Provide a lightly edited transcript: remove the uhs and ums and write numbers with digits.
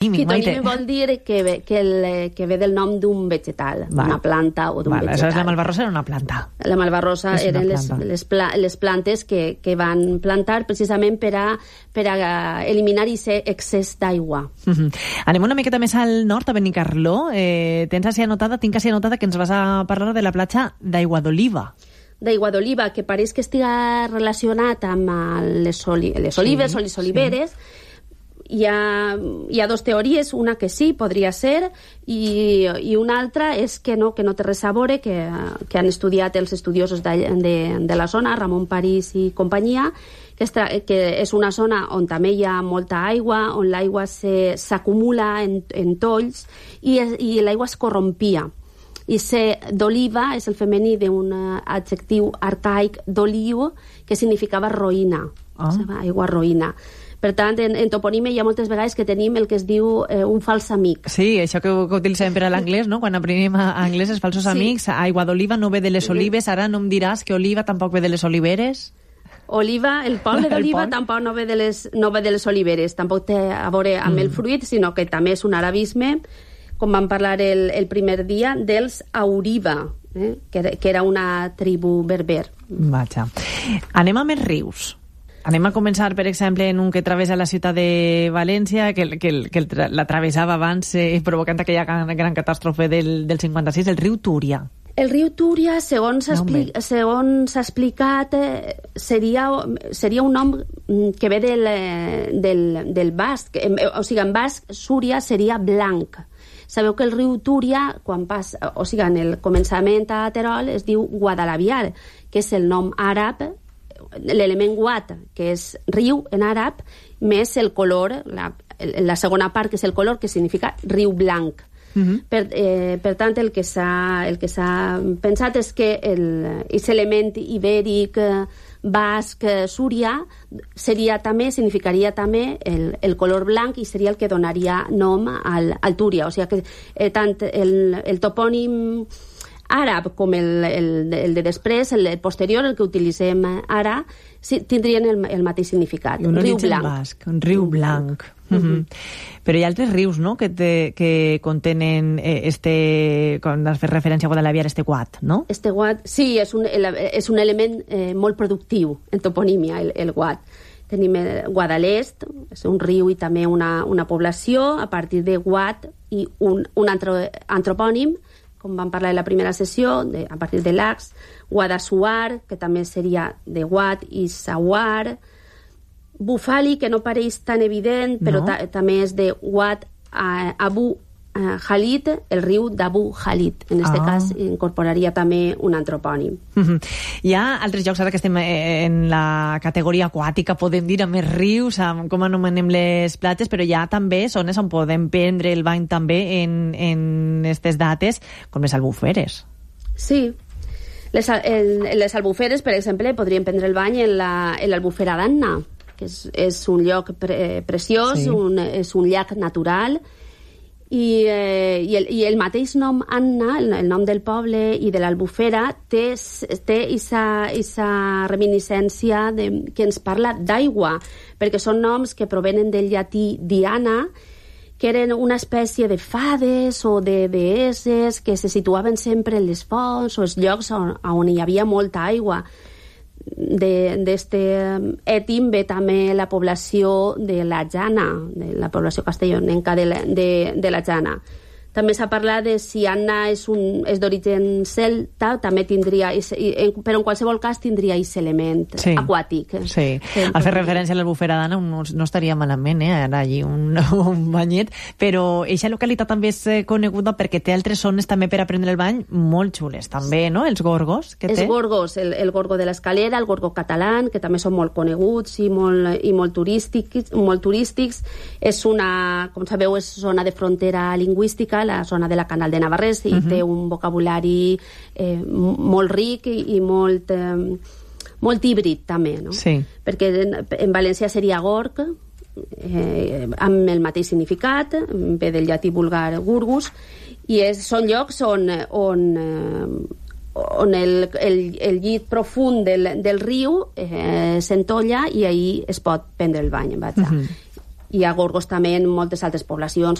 Fitonímic vol dir que ve del nom d'un vegetal, una planta o d'un vegetal. Aleshores la malvarrosa era una planta. La malvarrosa eren les plantes que van plantar precisament per a eliminar aquest excés d'aigua. Anem una miqueta més al nord, a Benicarló. Tinc així anotada que ens vas a parlar de la platja d'Aigua d'Oliva. D'Aigua d'Oliva, que pareix que estiga relacionat amb les olives o les oliveres. Hi ha dues teories, una que sí, podria ser, i una altra és que no té res a veure, que han estudiat els estudiosos de la zona, Ramon París i companyia, que és una zona on també hi ha molta aigua, on l'aigua s'acumula en tolls i l'aigua es corrompia. I d'oliva és el femení d'un adjectiu arcaic d'oliu que significava roïna, aigua roïna. Per tant, en toponímia hi ha moltes vegades que tenim el que es diu un fals amic. Sí, això que utilitzem per a l'anglès, no? Quan aprenem anglès, els falsos amics. Aigua d'oliva no ve de les olives, ara no em diràs que oliva tampoc ve de les oliveres. Oliva, el poble d'oliva tampoc no ve de les oliveres, tampoc té a veure amb el fruit, sinó que també és un arabisme, com vam parlar el primer dia, dels Auriva, que era una tribu berber. Vaja. Anem amb els rius. Anem a començar, per exemple, en un que travessa la ciutat de València, que la travessava abans, provocant aquella gran catàstrofe del 56, el riu Túria. El riu Túria, segons s'ha explicat, seria un nom que ve del basc. O sigui, en basc, Súria seria blanc. Sabeu que el riu Túria, en el començament a Terol, es diu Guadalaviar, que és el nom àrab, l'element guat, que és riu en àrab, més el color, la segona part, que és el color, que significa riu blanc. Per tant, el que s'ha pensat és que aquest element ibèric, basc, súria, significaria també el color blanc i seria el que donaria nom al Túria. O sigui que tant el topònim àrab com el de després, el posterior, el que utilitzem ara, tindrien el mateix significat. Un origen basc, un riu blanc. Però hi ha altres rius, no?, que contenen quan has fet referència a Guadalaviar, guat, no? Guat, sí, és un element molt productiu en toponímia, el guat. Tenim Guadalest, és un riu i també una població, a partir de guat i un antropònim, com vam parlar en la primera sessió, a partir de Lax, Guadassuar, que també seria de Guad i Sawar, Bufali, que no pareix tan evident, però també és de Guad Abu Khalid, el riu d'Abu Khalid. En aquest cas incorporaria també un antropònim. Hi ha altres llocs, ara que estem en la categoria aquàtica, podem dir, amb els rius, amb com anomenem les platges, però hi ha també zones on podem prendre el bany també en aquestes dates, com les albuferes. Sí. Les albuferes, per exemple, podríem prendre el bany en l'albufera d'Anna, que és un lloc preciós, és un llac natural, i el mateix nom Anna, el nom del poble i de l'Albufera, té aquesta reminiscència que ens parla d'aigua, perquè són noms que provenen del llatí Diana, que eren una espècie de fades o de deesses que se situaven sempre en les fonts o els llocs on hi havia molta aigua. D'este ètim ve també la població de la Jana, de la població castellonenca de la Jana. També s'ha parlat de si Anna és d'origen celta, també tindria, però en qualsevol cas tindria aquest element aquàtic. Sí, al fer referència a l'Albufera d'Anna no estaria malament, ara allí un banyet, però aquesta localitat també és coneguda perquè té altres zones també per a prendre el bany molt xules, també, no? Els gorgos que té. Els gorgos, el gorgo de l'Escalera, el gorgo català, que també són molt coneguts i molt turístics. És una, com sabeu, és zona de frontera lingüística, la zona de la Canal de Navarrés, i té un vocabulari molt ric i molt híbrid també, no? Sí. Perquè en valencià seria gorg, amb el mateix significat, ve del llatí vulgar gurgus, i són llocs on el llit profund del riu s'entolla i ahir es pot prendre el bany. Hi ha gorgos també en moltes altres poblacions,